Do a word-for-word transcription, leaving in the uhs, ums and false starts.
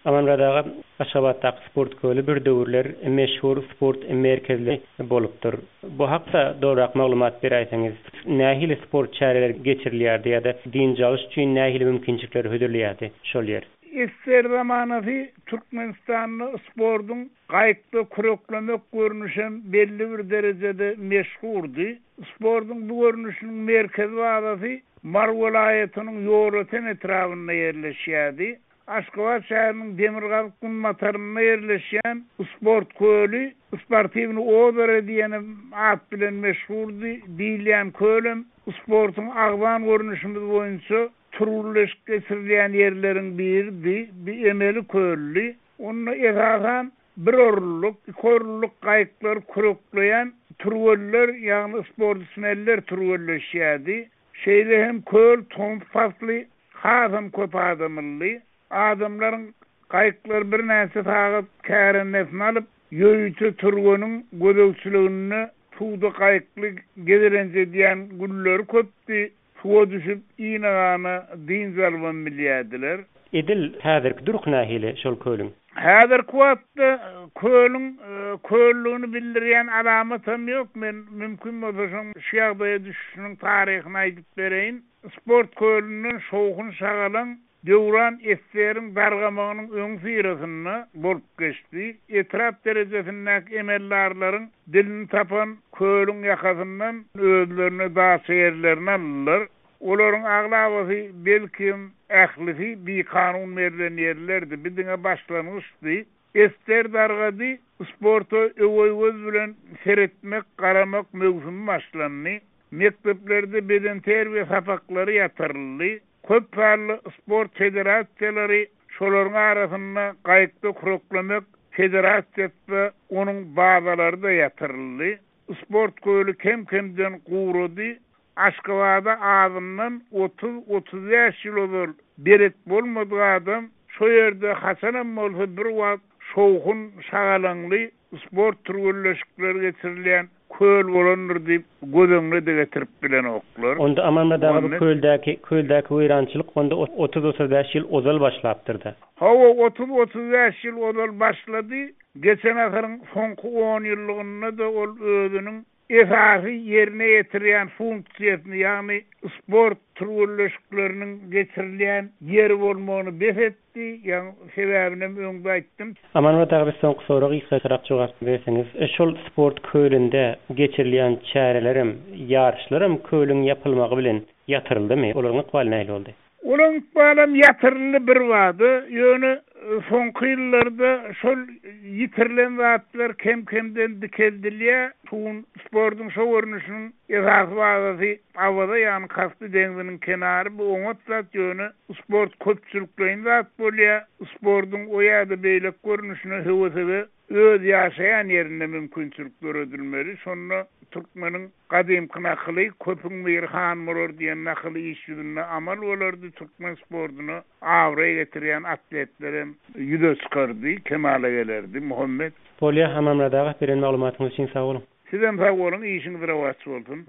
Amanmyrat aga, Aşgabatdaky sport köli bir döwürler meşhur sport merkezli bolupdyr. Bu hakda dogrurak maglumat beräýseňiz, nähili sport çäreleri geçirilýärdi ýa-da dynç alyş üçin nähili mümkinçilikleri hödürleýärdi şol ýer? S S S R zamanasy Türkmenistanda sportuň gaýykda küreklemek görnüşem belli bir derejede meşhurdy. Sportuň bu görnüşiniň merkezi bazasy Mary welaýatynyň Ýolöten etrabynda ýerleşýärdi. Aşgabat şäheriniň demirgazyk günbatarynda ýerleşýän sport köli Sportiwnyý ozero diýen at bilen meşhurdy. Diýilýän kölem sportuň agzan görnüşimiz boýunça türgenleşik geçirilýän ýerleriň biridi. Bir emeli köldi. Onda esasan bir orunluk, iki orunluk gaýyklar kürekleýän türgenler, ýagny sportsmenler türgenleşýärdi. Şeýle hem köl tomus pasly hasam köp adamly. Adamlaryň gaýyklar birnäçe sagat kärendesyny alyp, ýörite türgeniň gözegçiliginde suwda gaýykly gezelenç edýän günleri köpdi. Suwa düşüp inagana dynç alybam bilýärdiler. Edil häzirki durk nähili şol kölüň? Häzirki wagtda kölüň köllügini bildirýän alamatam ýok. Men mümkin bolsa şoň şu ýagdaýa düşüşiniň taryhyny aýdyp bereýin. Sport kölünden şowhun şagalaň döwran S S S R-iň dargamagynyň öň syrasynda bolup geçdi. Etrap derejesindäki emeldarlaryň dilini tapan kölüň ýakasyndan özlerine daça ýerlerini aldylar. Olaryň aglabasy, belki ählisi bikanun berlen ýerlerdi. Bir diňe başlangyçdy. S S S R dargady, sporta öweý göz bilen seretmek, garamak möwsümi başlandy. Mekdeplerde bedenterbiýe sapaklary ýatyryldy. Köp sanly sport federasiýalary, şolaryň arasynda gaýykda küreklemek federasiýasy, onuň bazalary da ýatyryldy. Sport köli kem-kemden gurady. Aşgabada azyndan otuz otuz bäş ýyl ozal belet bolmadyk adam şo ýerde haçanam bolsa bir wagt şowhun şagalaňly sport türgenleşikleri geçirilýän köl bolandyr diýip göz öňüne de getirip bilenoklar. Onda Amanmyrat aga, bu köldäki köldäki weýrançylyk onda otuz otuz bäş ýyl ozal başlapdyr da. Hawa, otuz otuz bäş ýyl ozal başlady. Geçen asyryň soňky on ýyllygynda da ol özüniň esasy ýerine ýetirýän funksiýasyny, ýagny sport türgenleşikleriniň geçirilýän ýeri bolmagyny bes etdi. Ýagny sebäbini hem öňde aýtdym. Amanmyrat aga, biz soňky soragy gysgaçarak jogap berseňiz. Şol sport kölünde geçirilýän çärelerem, ýaryşlaram kölüň ýapylmagy bilen ýatyryldymy? Olaryň ykbaly nähili boldy? Olaryň ykbalam ýatyryldy bir bada, ýöne soňky ýyllarda şol ýitirilen zatlar kem-kemden dikeldilýär. Suwun sportuň şo görnüşiniň esasy bazasy Awaza, ýagny Kaspi deňziniň kenary, bu oňat zat, ýöne sport köpçülikleýin zat bolýar. Sportuň o ýa-da beýleki görnüşine höwesege öz ýaşaýan ýerinde mümkinçilik döredilmeli. Şonda türkmeniň gadymky nakyly "Köpüň biri han bolar" diýen nakyly iş ýüzünde amal bolardy. Türkmen sportuna abraý getirýän atletler hem ýüze çykardy, kemala gelerdi. Muhammet. Bolýar, Amanmyrat aga, beren maglumatyňyz üçin sag boluň. Sizem sag boluň, işiňiz rowaç bolsun.